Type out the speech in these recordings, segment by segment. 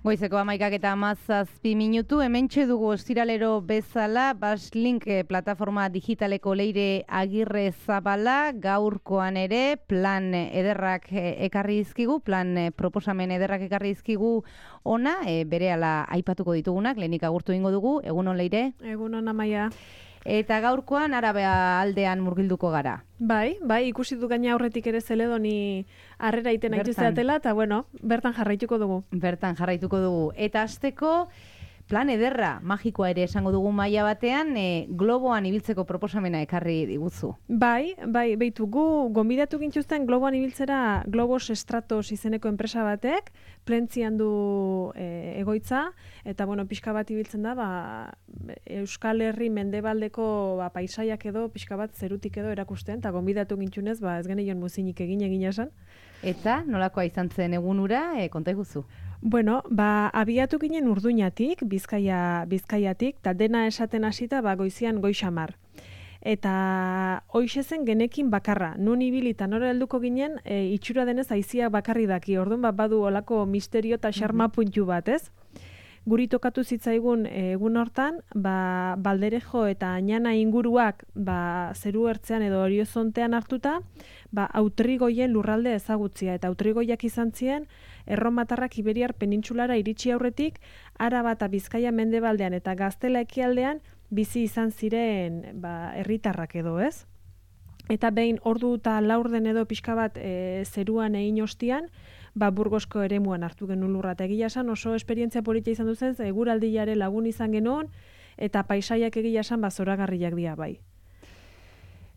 Goizeko 11:17, hementxe dugu ostiralero bezala, Baslink plataforma digitaleko Leire Agirre Zabala, gaurkoan ere plan ederrak ekarri dizkigu, plan proposamen ederrak ekarri dizkigu ona, berehala aipatuko ditugunak, lehenik agurtu egingo dugu, egunon Leire? Egunon Amaia. Eta gaurkoan Araba aldean murgilduko gara. Bai, ikusi du gaina aurretik ere Zeledoni harrera iten aitu zeatela, eta bertan jarraituko dugu. Eta hasteko plan ederra, magikoa ere esango dugu maila batean, globoan ibiltzeko proposamena ekarri diguzu. Bai, beitu gu gonbidatu gintuzten globoan ibiltzera Globos Stratos izeneko enpresa batek, Plentzian du egoitza, eta pixka bat ibiltzen da, Euskal Herri mendebaldeko paisaiak edo, pixka bat zerutik edo erakusten, eta gonbidatu gintzunez, ez geneion muzinik egin esan. Eta nolakoa izan zen egunura, konta iguzu? Abiatu ginen Urduñatik, Bizkaiatik, eta dena esaten hasita goizian goixamar. Eta hoixe zen genekin bakarra, nun ibili eta nora helduko ginen, itxura denez aizia bakarri daki, orduan badu olako misterio eta xarma puntu bat, ez? Guri tokatu zitzaigun egun hortan, Balderejo eta Añana inguruak zeru ertzean edo horiozontean hartuta, Autrigoien lurralde ezagutzia, eta Autrigoiak izan ziren, Erromatarrak Iberiar penintsulara iritsi aurretik, Araba eta Bizkaia mendebaldean eta Gaztela ekialdean bizi izan ziren herritarrak edo, ez? Eta behin ordu eta laurden edo pixka bat zeruan egin ostian, Burgosko eremuan hartu genuen lurra, eta egia esan oso esperientzia polita izan duzen, eguraldiare lagun izan genuen, eta paisaiak egia esan zoragarriak dira bai.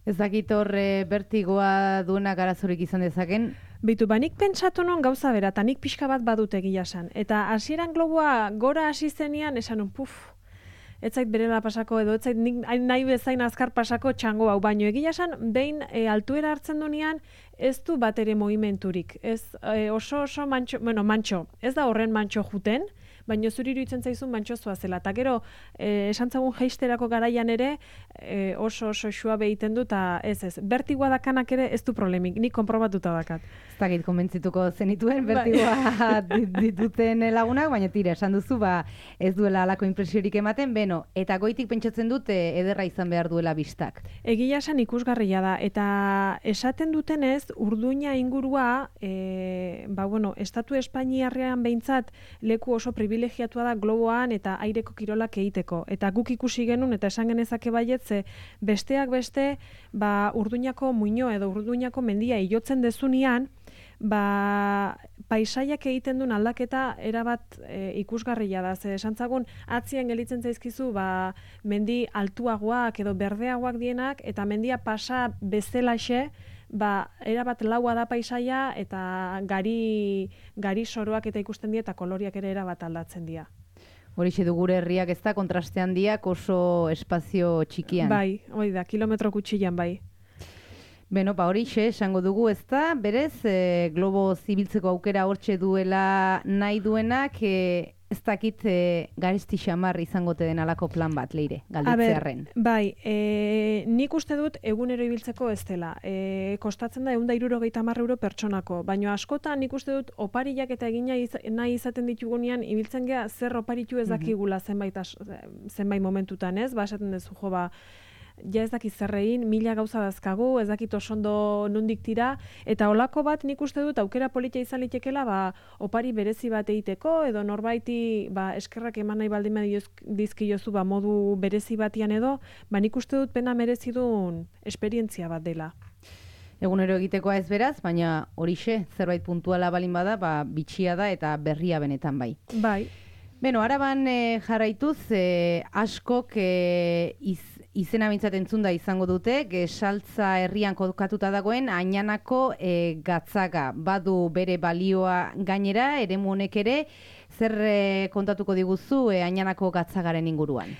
Ez dakit horre bertigoa duenak arazorik izan dezaken? Bitu, nik pentsatu non gauza bera, eta nik pixka bat badut egia esan. Eta hasieran globoa gora hasi zenean, esan ez zait berela pasako edo, ez zait nahi bezain azkar pasako txango hau, baino egia esan, behin altuera hartzen duenean, ez du bat ere movimenturik. Ez oso mantxo, ez da horren mantxo juten, baina zuri iruditzen zaizun mantxozua zela. Eta gero, esan zagun jeisterako garaian ere, oso suabe egiten du, eta ez, bertigoa dakanak ere ez du problemik, nik konprobatuta dakat. Ez dakit konbentzituko zenituen, bertigoa dituten lagunak, baina tira, esan duzu, ez duela alako impresiorik ematen, eta goitik pentsatzen dute ederra izan behar duela bistak. Egia esan ikusgarria da, eta esaten dutenez, Urduña ingurua, Estatu Espainiarrean behintzat leku oso privilegiatua da globoan eta aireko kirolak egiteko. Eta guk ikusi genuen eta esan genezake baietze, besteak beste, Urduñako muino edo Urduñako mendia ilotzen dezunean, paisaiak egiten duen aldaketa erabat ikusgarria da. Esan zagun, atzian gelitzen zaizkizu mendi altuagoak edo berdeagoak dienak, eta mendia pasa bezalaxe, erabat laua da paisaia, eta gari soroak eta ikusten dira, eta koloriak ere erabat aldatzen dira. Horixe du gure herriak ez da, kontraste handiak oso espazio txikian. Bai, hori da, kilometro kutsilan bai. Horixe, esango dugu ez da, berez, globo zibiltzeko aukera hortxe duela nahi duenak, ez dakit garesti xamar izangote den alako plan bat, Leire, galditzearren. Bai, nik uste dut egunero ibiltzeko ez dela. Kostatzen da 160 euro pertsonako, baina askotan nik uste dut opariak eta egina nahi izaten ditugunean ibiltzen gea zer oparitu ez dakigula zenbait momentutan, ez? Esaten dezu ja ez dakit zerrein, 1000 gauza dazkagu, ez dakit osondo nondik tira, eta olako bat nik uste dut aukera polita izan litekela opari berezi bat egiteko, edo norbaiti eskerrak eman nahi baldin dizkiozu modu berezi batian edo, nik uste dut pena merezi duen esperientzia bat dela. Egunero egitekoa ez beraz, baina horixe, zerbait puntuala balin bada, bitxia da eta berria benetan bai. Bai. Araban jarraituz, askok izena bintzat entzunda izango dute, Saltza herrian kokatuta dagoen Añanako gatzaga. Badu bere balioa gainera, eremu honek ere, zer kontatuko diguzu Añanako gatzagaren inguruan?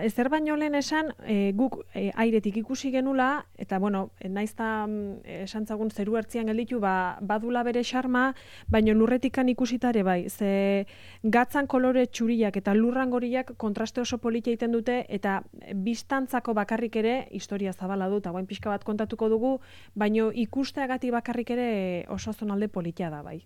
Ezer baino lehen esan, guk airetik ikusi genula, eta naizta esan zagun zeru ertzian gelditu, badula bere xarma, baina lurretikan ikusitare bai, ze gatzan kolore txuriak eta lurran goriak kontraste oso polita egiten dute, eta biztantzako bakarrik ere, historia zabala dut, hauen pixka bat kontatuko dugu, baina ikusteagatik bakarrik ere oso zonalde polita da bai.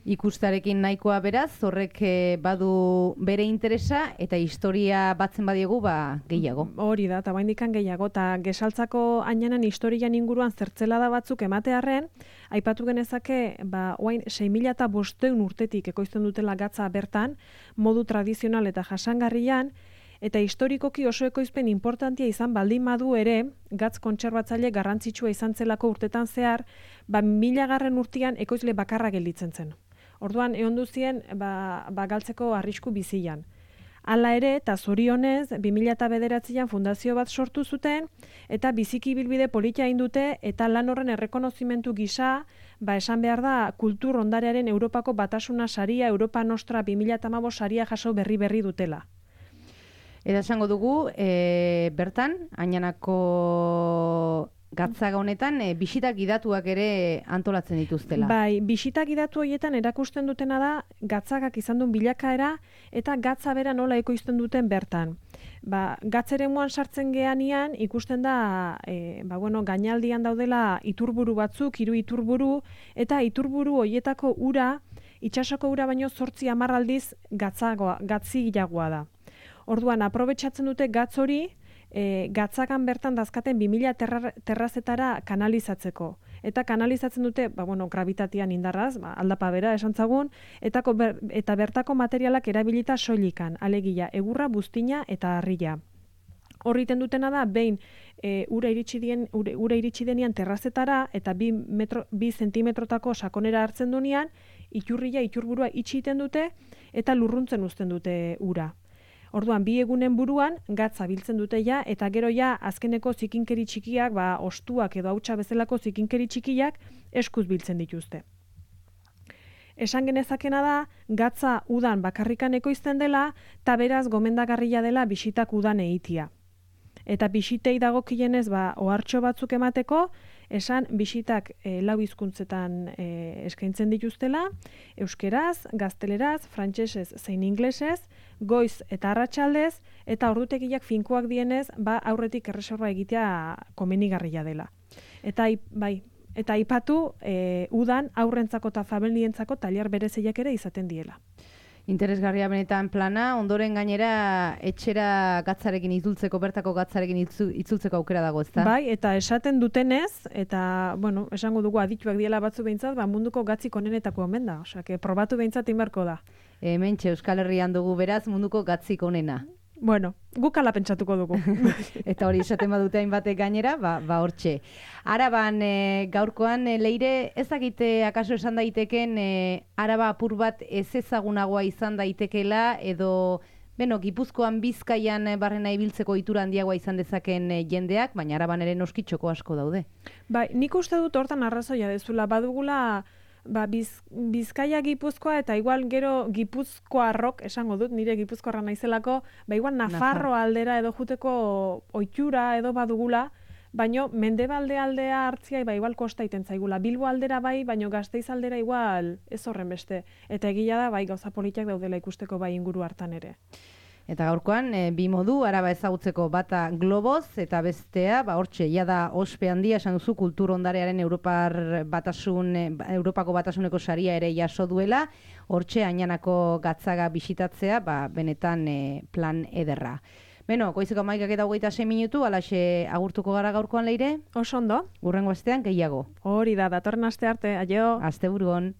Ikustarekin nahikoa beraz, horrek badu bere interesa eta historia batzen badiegu gehiago. Hori da, eta baindikan gehiago, eta gesaltzako ainanan historian inguruan zertzelada batzuk ematearren, aipatu genezake, oain 6.500 urtetik ekoizten dutela gatza bertan, modu tradizional eta jasangarrian, eta historikoki oso ekoizpen importantia izan baldin badu ere, gatz kontserbatzaile garrantzitsua izan zelako urtetan zehar, 1000. urtean ekoizle bakarra gelditzen zen. Orduan, ehondu zien, galtzeko arrisku bizian. Hala ere, eta zorionez, 2009an fundazio bat sortu zuten, eta biziki bilbide politia egin dute, eta lan horren errekonozimentu gisa, esan behar da, kultur ondarearen Europako Batasuna saria, Europa Nostra 2015 saria jaso berri dutela. Eta esango dugu, bertan, Añanako gatzaga honetan, bisita gidatuak ere antolatzen dituztela. Bai, bisita gidatu horietan erakusten dutena da, gatzagak izan duen bilakaera, eta gatza bera nola ekoizten duten bertan. Gatzeremuan sartzen geanian, ikusten da, gainaldian daudela iturburu batzuk, 3 iturburu, eta iturburu horietako ura, itsasoko ura baino 8-10 aldiz gatzigilagoa da. Orduan, aprobetxatzen dute gatz hori, gatzagan bertan dazkaten 2000 terrazetara kanalizatzeko. Eta kanalizatzen dute, gravitatian indarraz, aldapa bera esantzagun, eta bertako materialak erabilita soilikan, alegia, egurra, buztina eta harria. Horriten dutena da, behin ura iritsi denian terrazetara, eta 2 zentimetrotako sakonera hartzen dunean, iturburua itxiten dute, eta lurruntzen uzten dute ura. Orduan, 2 egunen buruan, gatza biltzen dute ja, eta gero ja, azkeneko zikinkeri txikiak, ostuak edo hautsa bezalako zikinkeri txikiak, eskuz biltzen dituzte. Esan genezakena da, gatza udan bakarrikan ekoizten dela, eta beraz gomendagarria dela bisitak udan egitea. Eta bisitei dagokienez, ohartxo batzuk emateko, esan bisitak 4 hizkuntzetan eskaintzen dituztela, euskeraz, gazteleraz, frantsesez zein inglesez, goiz eta arratsaldez, eta ordutegiak finkoak dienez, aurretik erreserba egitea komenigarria dela. Eta aipatu, udan aurrentzako eta familientzako tailer berezeiak ere izaten diela. Interesgarria benetan plana, ondoren gainera etxera gatzarekin itzultzeko, bertako gatzarekin itzultzeko aukera dago, ezta? Bai, eta esaten dutenez, eta, esango dugu adituak diela batzu behintzat, munduko gatzik onenetako omen da, probatu behintzat inbarko da. Hementxe Euskal Herrian dugu beraz munduko gatzik onena. Guk ala pentsatuko dugu. Eta hori esaten badute hainbatek gainera, hortxe. Araban gaurkoan Leire, ez dakite akaso esan daiteken Araba apur bat ez ezagunagoa izan daitekela edo Gipuzkoan Bizkaian barrena ibiltzeko itura handiagoa izan dezaken jendeak, baina Araban ere noskitxoko asko daude. Bai, nik uste dut hortan arrazoia dezula, badugula Bizkaia Gipuzkoa eta igual gero Gipuzkoarrok, esango dut, nire Gipuzkoarra naizelako, igual Nafarro aldera edo juteko ohitura edo badugula, baino Mendebalde aldea hartzia igual kosta iten zaigula. Bilbo aldera bai, baino Gasteiz aldera igual ez horren beste. Eta egia da gauza politiak daudela ikusteko inguru hartan ere. Eta gaurkoan, 2 modu, Araba ezagutzeko bata globoz, eta bestea, hortxe, jada ospe handia, esan duzu, kultur ondarearen Europako batasuneko saria ere jaso duela, hortxe, Añanako gatzaga bisitatzea, benetan plan ederra. Goizeko 11:26 minutu, alaxe agurtuko gara gaurkoan Leire? Oso ondo. Hurrengo astean, gehiago. Hori da, datorren aste arte, aio. Asteburuan.